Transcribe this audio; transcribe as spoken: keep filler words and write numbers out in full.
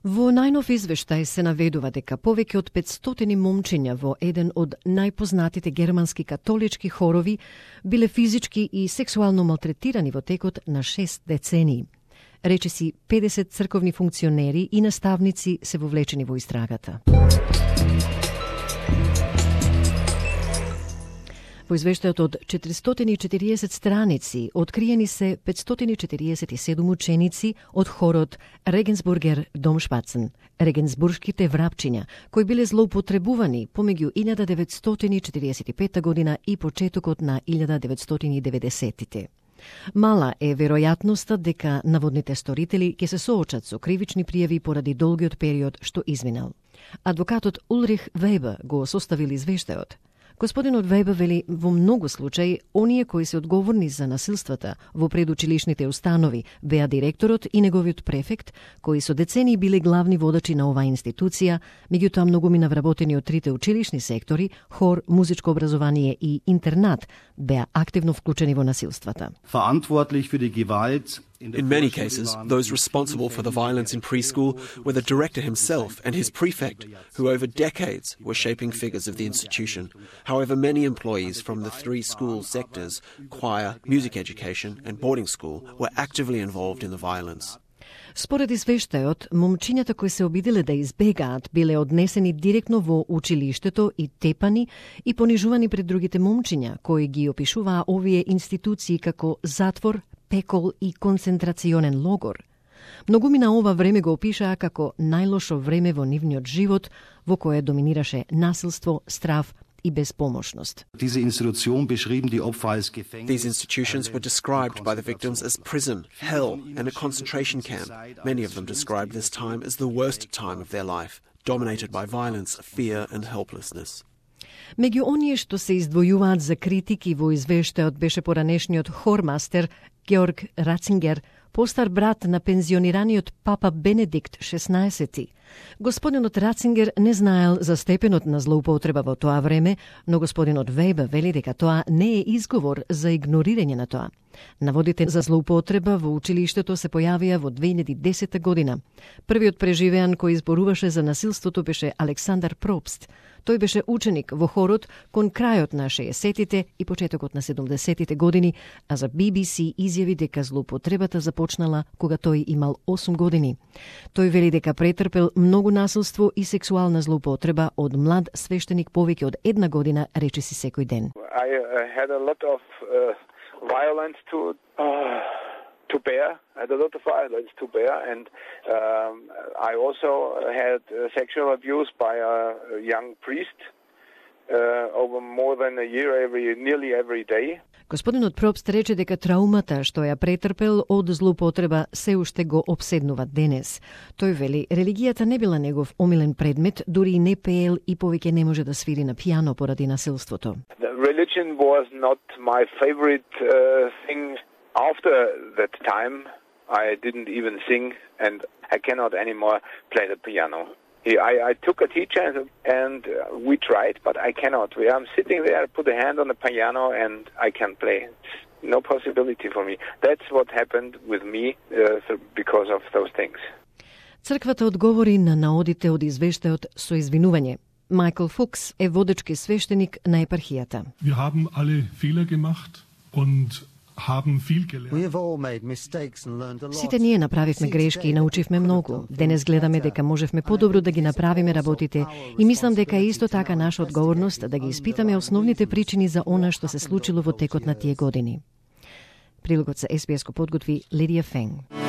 Во најнов извештај се наведува дека повеќе од петстотини момчиња во еден од најпознатите германски католички хорови биле физички и сексуално малтретирани во текот на шест децении. Речиси педесет црковни функционери и наставници се вовлечени во истрагата. Во извештајот од четиристотини и четириесет страници откриени се петстотини и четириесет и седум ученици од хорот Регенсбургер Домшпацен, регенсбуршките врапчиња, кои биле злоупотребувани помеѓу илјада деветстотини и четириесет и пета година и почетокот на илјада деветстотини и деветдесеттите. Мала е веројатноста дека наводните сторители ќе се соочат со кривични пријави поради долгиот период што изминал. Адвокатот Улрих Вебер го составил извештајот. Господинот Вебер вели во многу случаи оние кои се одговорни за насилствата во предучилишните установи беа директорот и неговиот префект, кои со децении биле главни водачи на оваа институција, меѓутоа многумина вработени од трите училишни сектори, хор, музичко образование и интернат, беа активно вклучени во насилствата. In many cases, those responsible for the violence in preschool were the director himself and his prefect, who over decades were shaping figures of the institution. However, many employees from the three school sectors, choir, music education and boarding school, were actively involved in the violence. Според извештајот, момчињата кои се обиделе да избегаат биле однесени директно во училиштето и тепани и понижувани пред другите момчиња, кои ги опишуваа овие институции како затвор, пекол и концентрационен логор. Многумина ова време го опишаа како најлошо време во нивниот живот, во кое доминираше насилство, страв и безпомошност. These institutions were described by the victims as prison, hell, and a concentration camp. Many of them described this time as the worst time of their life, dominated by violence, fear, and helplessness. Меѓу оние што се издвојуваат за критики во извештајот беше поранешниот хормастер Георг Рацингер, постар брат на пензионираниот папа Бенедикт шеснаесети. Господинот Рацингер не знаел за степенот на злоупотреба во тоа време, но господинот Вебер вели дека тоа не е изговор за игнорирање на тоа. Наводите за злоупотреба во училиштето се појавија во две илјади и десета година. Првиот преживеан кој изборуваше за насилството беше Александар Пробст. Тој беше ученик во хорот кон крајот на шеесеттите и почетокот на седумдесеттите години, а за Би Би Си изјави дека злоупотребата започнала кога тој имал осум години. Тој вели дека претрпел многу насилство и сексуална злоупотреба од млад свештеник повеќе од една година, речиси секој ден. I uh, had a lot of uh, violence to uh, to bear. I had a lot of violence to bear, and um, I also had uh, sexual abuse by a young priest uh, over more than a year, every nearly every day. Господинот Пробст рече дека траумата што ја претрпел од злоупотреба се уште го обседнува денес. Тој вели, религијата не била негов омилен предмет, дури и не пеел и повеќе не може да свири на пијано поради насилството. The religion was not my favorite uh, thing. After that time, I didn't even sing, and I cannot anymore play the piano. I, I took a teacher and we tried, but I cannot. I'm sitting there, put a hand on the piano, and I can't play. It's no possibility for me. That's what happened with me uh, because of those things. Црквата одговори на наодите од извештајот со извинување. Майкл Фукс е водечки свештеник на епархијата. Wir haben alle Fehler gemacht und Сите ние направивме грешки и научивме многу. Денес гледаме дека можевме подобро да ги направиме работите и мислам дека е исто така наша одговорност да ги испитаме основните причини за она што се случило во текот на тие години. Прилогот за Ес Би Ес го подготви Лидија Фенг.